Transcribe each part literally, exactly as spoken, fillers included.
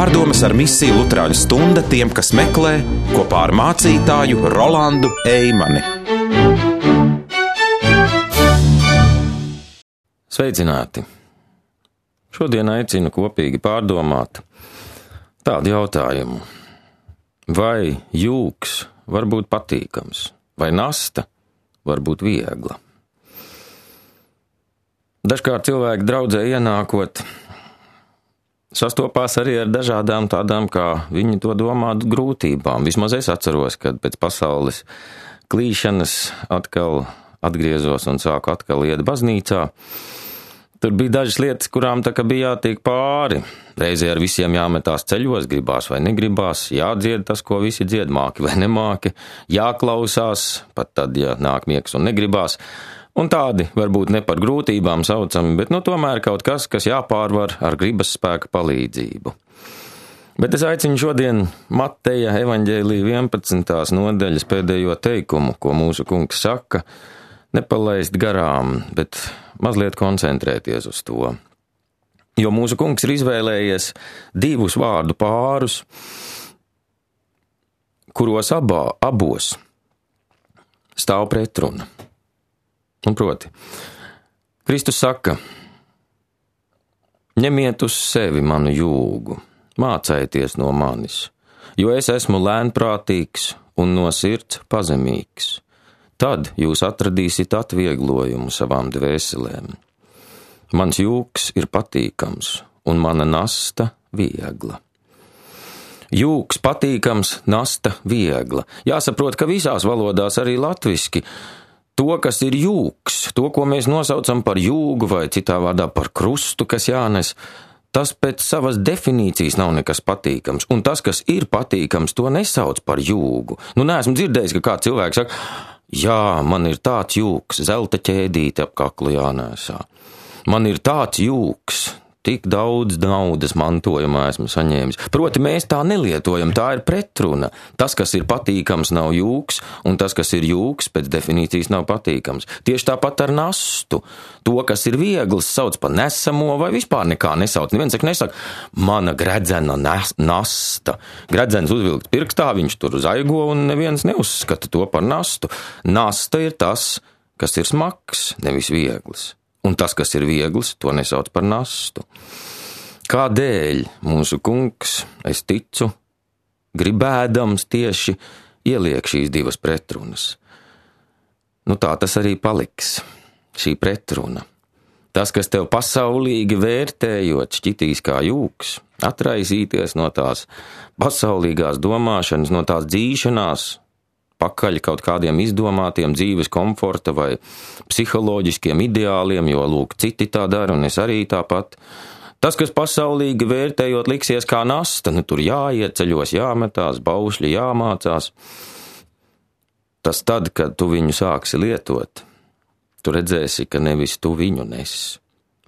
Pārdomas ar misiju Luterāņu stunda tiem, kas meklē, kopā ar mācītāju Rolandu Eimani. Sveicināti! Šodien aicinu kopīgi pārdomāt tādu jautājumu. Vai jūks var būt patīkams, vai nasta var būt viegla? Dažkārt cilvēki draudzē ienākot sastopās arī ar dažādām tādām, kā viņi to domātu, grūtībām. Vismaz es atceros, kad pēc pasaules klīšanas atkal atgriezos un sāku atkal iet baznīcā. Tur bija dažas lietas, kurām tā kā bija jātiek pāri. Reizē ar visiem jāmetās ceļos, gribās vai negribās, jādzied tas, ko visi dzied, māki vai nemāki, jāklausās, pat tad, ja nāk miegs un negribās. Un tādi varbūt ne par grūtībām saucami, bet nu tomēr kaut kas, kas jāpārvar ar gribas spēka palīdzību. Bet es aicinu šodien Mateja evaņģēlija vienpadsmitās nodaļas pēdējo teikumu, ko mūsu kungs saka, nepalaist garām, bet mazliet koncentrēties uz to. Jo mūsu kungs ir izvēlējies divus vārdu pārus, kuros abā, abos stāv pretruna. Un proti, Kristus saka, ņemiet uz sevi manu jūgu, mācējieties no manis, jo es esmu lēnprātīgs un no sirds pazemīgs. Tad jūs atradīsiet atvieglojumu savām dvēselēm. Mans jūgs ir patīkams un mana nasta viegla. Jūgs patīkams, nasta viegla. Jāsaprot, ka visās valodās arī latviski to, kas ir jūgs, to, ko mēs nosaucam par jūgu vai citā vārdā par krustu, kas jānes, tas pēc savas definīcijas nav nekas patīkams. Un tas, kas ir patīkams, to nesauc par jūgu. Nu, neesmu dzirdējis, ka kāds cilvēks saka, jā, man ir tāds jūgs, zelta ķēdīte ap kaklu jānēsā. Man ir tāds jūgs, tik daudz naudas mantojumā esmu saņēmis. Proti, mēs tā nelietojam, tā ir pretruna. Tas, kas ir patīkams, nav jūgs, un tas, kas ir jūgs, pēc definīcijas nav patīkams. Tieši tāpat ar nastu. To, kas ir viegls, sauc par nesamo vai vispār nekā nesauc. Neviens saka, nesaka, mana gredzena nasta. Gredzens uzvilkts pirkstā, viņš tur zaigo, un neviens neuzskata to par nastu. Nasta ir tas, kas ir smags, nevis viegls. Un tas, kas ir viegls, to nesauc par nastu. Kādēļ mūsu kungs, es ticu, gribēdams tieši ieliek šīs divas pretrunas? Nu tā tas arī paliks, šī pretruna. Tas, kas tev pasaulīgi vērtējot šķitīs kā jūgs, atraisīties no tās pasaulīgās domāšanas, no tās dzīšanās, pakaļ kaut kādiem izdomātiem dzīves komforta vai psiholoģiskiem ideāliem, jo, lūk, citi tā dara, un es arī tāpat. Tas, kas pasaulīgi vērtējot liksies kā nasta, nu tur jāiet ceļos, jāmetās, baušļi jāmācās. Tas tad, kad tu viņu sāksi lietot, tu redzēsi, ka nevis tu viņu nes,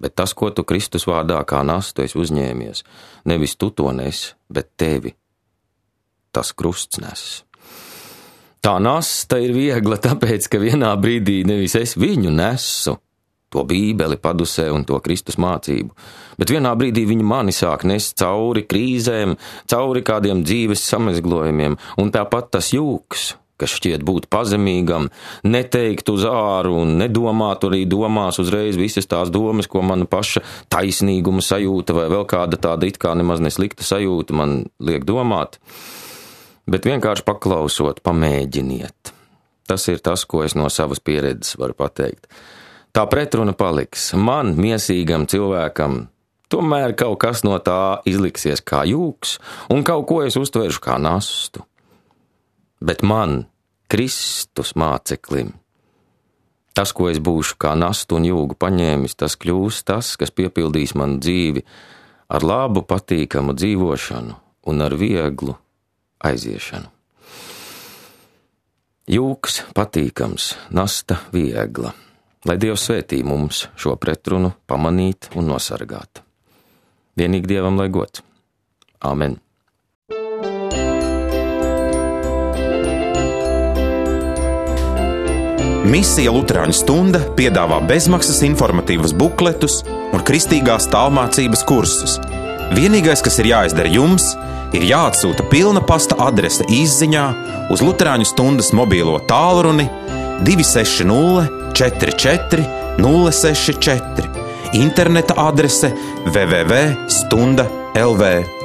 bet tas, ko tu Kristus vārdā kā nastu esi uzņēmies, nevis tu to nes, bet tevi tas krusts nes. Tā nasta ir viegla, tāpēc, ka vienā brīdī nevis es viņu nesu, to bībeli padusē un to Kristus mācību, bet vienā brīdī viņi mani sāk nest cauri krīzēm, cauri kādiem dzīves samezglojumiem, un tāpat tas jūgs, kas šķiet būt pazemīgam, neteikt uz āru un nedomāt arī domās uzreiz visas tās domas, ko mana paša taisnīguma sajūta vai vēl kāda tāda it kā nemaz neslikta sajūta man liek domāt. Bet vienkārši paklausot, pamēģiniet. Tas ir tas, ko es no savas pieredzes varu pateikt. Tā pretruna paliks. Man, miesīgam cilvēkam, tomēr kaut kas no tā izliksies kā jūgs, un kaut ko es uztveršu kā nastu. Bet man, Kristus māceklim, tas, ko es būšu kā nastu un jūgu paņēmis, tas kļūs tas, kas piepildīs manu dzīvi ar labu, patīkamu dzīvošanu un ar vieglu aiziešanu. Jūgs patīkams, nasta viegla. Lai Dievs svētī mums šo pretrunu pamanīt un nosargāt. Vienīgi Dievam lai gods. Āmen. Misija Luterāņu stunda piedāvā bezmaksas informatīvas bukletus un kristīgās tālmācības kursus. Vienīgais, kas ir jāizdara jums, ir jāatsūta pilna pasta adrese īsziņā uz Luterāņu stundas mobīlo tālruni divi seši nulle četri četri nulle seši četri, interneta adrese w w w punkt stunda punkt l v.